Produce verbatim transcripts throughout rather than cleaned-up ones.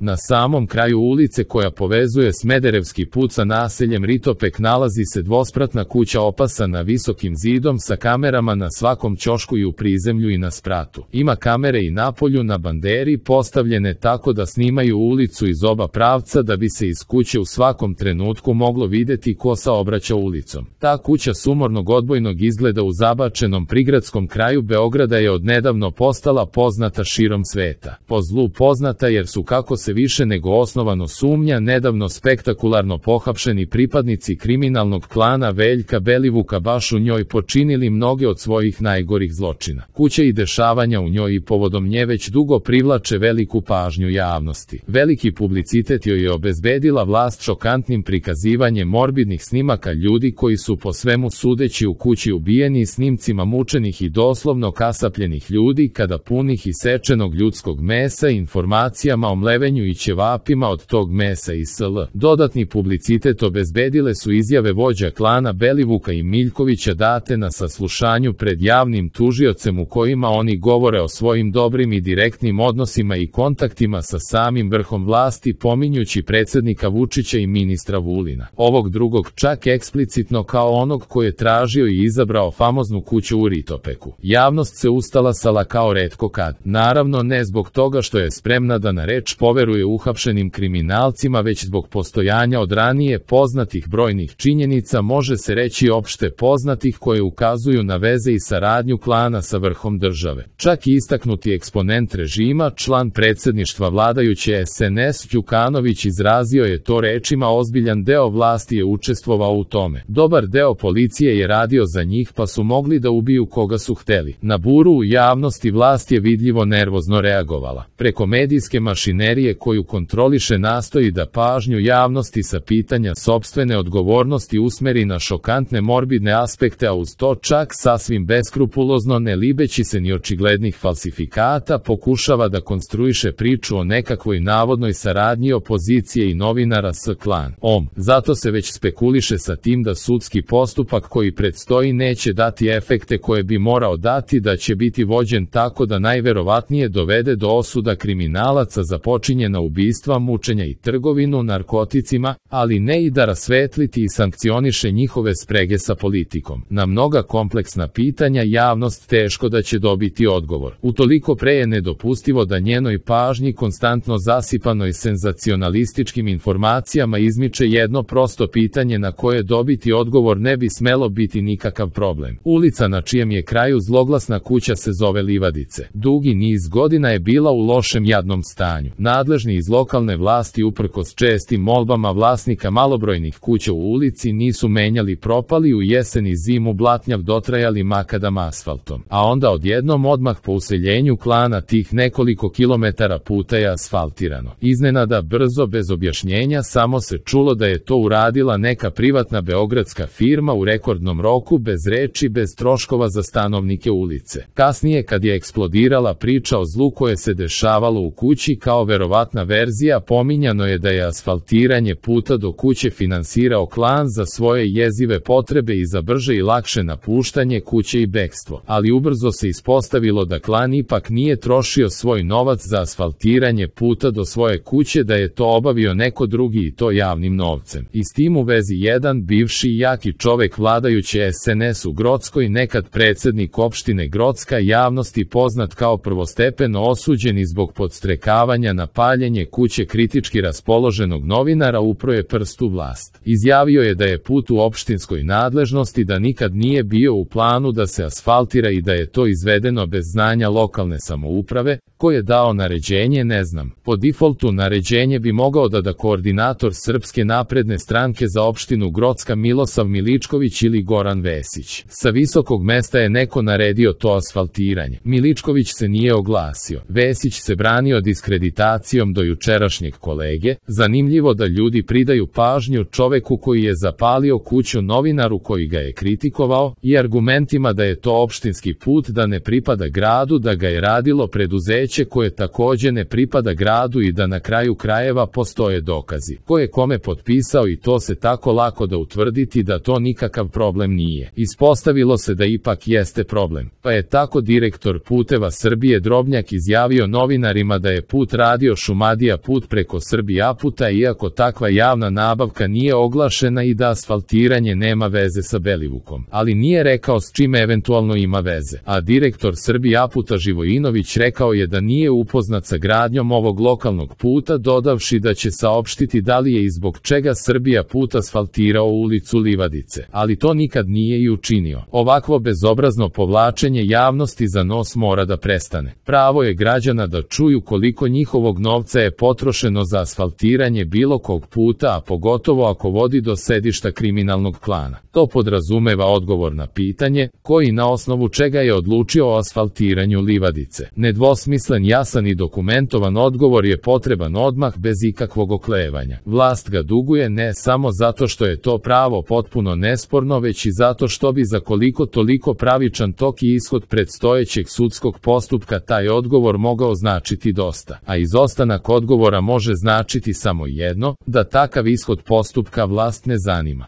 Na samom kraju ulice koja povezuje Smederevski put sa naseljem Ritopek nalazi se dvospratna kuća opasana visokim zidom sa kamerama na svakom ćošku i u prizemlju i na spratu. Ima kamere i napolju na banderi postavljene tako da snimaju ulicu iz oba pravca da bi se iz kuće u svakom trenutku moglo videti ko saobraća ulicom. Ta kuća sumornog odbojnog izgleda u zabačenom prigradskom kraju Beograda je odnedavno postala poznata širom sveta. Po zlu poznata jer su, kako se više nego osnovano sumnja, nedavno spektakularno pohapšeni pripadnici kriminalnog klana Veljka Belivuka baš u njoj počinili mnoge od svojih najgorih zločina. Kuća i dešavanja u njoj i povodom nje već dugo privlače veliku pažnju javnosti. Veliki publicitet joj je obezbedila vlast šokantnim prikazivanjem morbidnih snimaka ljudi koji su po svemu sudeći u kući ubijeni i snimcima mučenih i doslovno kasapljenih ljudi kada punih isečenog ljudskog mesa i informacijama o mlevenju i ćevapima od tog mesa i sl. Dodatni publicitet obezbedile su izjave vođa klana Belivuka i Miljkovića date na saslušanju pred javnim tužiocem u kojima oni govore o svojim dobrim i direktnim odnosima i kontaktima sa samim vrhom vlasti, pominjući predsednika Vučića i ministra Vulina. Ovog drugog čak eksplicitno kao onog koji je tražio i izabrao famoznu kuću u Ritopeku. Javnost se ustalasala kao retko kad. Naravno ne zbog toga što je spremna da na reč poveruje uhapšenim kriminalcima, već zbog postojanja od ranije poznatih brojnih činjenica, može se reći opšte poznatih, koje ukazuju na veze i saradnju klana sa vrhom države. Čak i istaknuti eksponent režima, član predsedništva vladajuće es en es Đukanović izrazio je to rečima: ozbiljan deo vlasti je učestvovao u tome. Dobar deo policije je radio za njih pa su mogli da ubiju koga su hteli. Na buru u javnosti vlast je vidljivo nervozno reagovala. Preko medijske mašinerije koju kontroliše nastoji da pažnju javnosti sa pitanja sopstvene odgovornosti usmeri na šokantne morbidne aspekte, a uz to čak sasvim beskrupulozno, ne libeći se ni očiglednih falsifikata, pokušava da konstruiše priču o nekakvoj navodnoj saradnji opozicije i novinara s klanom. Zato se već spekuliše sa tim da sudski postupak koji predstoji neće dati efekte koje bi morao dati, da će biti vođen tako da najverovatnije dovede do osuda kriminalaca za počinjena ubistva, mučenja i trgovinu narkoticima, ali ne i da rasvetliti i sankcioniše njihove sprege sa politikom. Na mnoga kompleksna pitanja javnost teško da će dobiti odgovor. Utoliko pre je nedopustivo da njenoj pažnji konstantno zasipanoj senzacionalističkim informacijama izmiče jedno prosto pitanje na koje dobiti odgovor ne bi smelo biti nikakav problem. Ulica na čijem je kraju zloglasna kuća se zove Livadice. Dugi niz godina je bila u lošem jadnom stanju. Nadležni iz lokalne vlasti uprkos čestim molbama vlasnika malobrojnih kuća u ulici nisu menjali propali u jesen i zimu blatnjav dotrajali makadam asfaltom. A onda odjednom odmah po useljenju klana tih nekoliko kilometara puta je asfaltirano. Iznenada, brzo, bez objašnjenja, samo se čulo da je to uradila neka privatna beogradska firma u rekordnom roku, bez reči, bez troškova za stanovnike ulice. Kasnije, kad je eksplodirala priča o zlu koje se dešavalo u kući kao verovatna verzija, pominjano je da je asfaltiranje puta do kuće finansirao klan za svoje jezive potrebe i za brže i lakše napuštanje kuće i bekstvo. Ali ubrzo se ispostavilo da klan ipak nije trošio svoj novac za asfaltiranje puta do svoje kuće, da je to obavio neko drugi i to javnim novcem. I s tim u vezi jedan bivši i jaki čovek vladajuće es en es u Grockoj, nekad predsednik opštine Grocka, javnosti poznat kao prvostepeno osuđeni zbog podstrekavanja na paljenje kuće kritički raspoloženog novinara, upro je prst u vlast. Izjavio je da je put u opštinskoj nadležnosti, da nikad nije bio u planu da se asfaltira i da je to izvedeno bez znanja lokalne samouprave. Ko je dao naređenje, ne znam. Po defaultu naređenje bi mogao da da koordinator Srpske napredne stranke za opštinu Grocka Milosav Miličković ili Goran Vesić. Sa visokog mesta je neko naredio to asfaltiranje. Miličković se nije oglasio. Vesić se branio diskreditacijom do jučerašnjeg kolege. Zanimljivo da ljudi pridaju pažnju čoveku koji je zapalio kuću novinaru koji ga je kritikovao i argumentima da je to opštinski put, da ne pripada gradu, da ga je radilo preduzeće koje takođe ne pripada gradu i da na kraju krajeva postoje dokazi. Ko je kome potpisao i to se tako lako da utvrditi da to nikakav problem nije. Ispostavilo se da ipak jeste problem. Pa je tako direktor Puteva Srbije Drobnjak izjavio novinarima da je put radio Šumadija put preko Srbija puta, iako takva javna nabavka nije oglašena i da asfaltiranje nema veze sa Belivukom, ali nije rekao s čime eventualno ima veze. A direktor Srbija puta Živojinović rekao je da nije upoznat sa gradnjom ovog lokalnog puta, dodavši da će saopštiti da li je i zbog čega Srbija put asfaltirao ulicu Livadice, ali to nikad nije i učinio. Ovakvo bezobrazno povlačenje javnosti za nos mora da prestane. Pravo je građana da čuju koliko njihovog novca je potrošeno za asfaltiranje bilo kog puta, a pogotovo ako vodi do sedišta kriminalnog klana. To podrazumeva odgovor na pitanje, koji na osnovu čega je odlučio o asfaltiranju Livadice. Nedvosmislen, jasan i dokumentovan odgovor je potreban odmah, bez ikakvog oklevanja. Vlast ga duguje ne samo zato što je to pravo potpuno nesporno, već i zato što bi za koliko toliko pravičan tok i ishod predstojećeg sudskog postupka taj odgovor mogao značiti dosta. A izostanak odgovora može značiti samo jedno, da takav ishod postupka vlast ne zanima.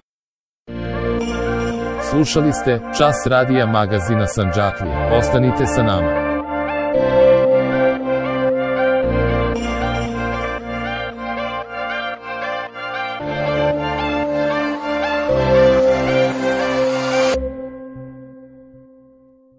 Slušali ste Čas radija magazina Sandžaklija. Ostanite sa nama.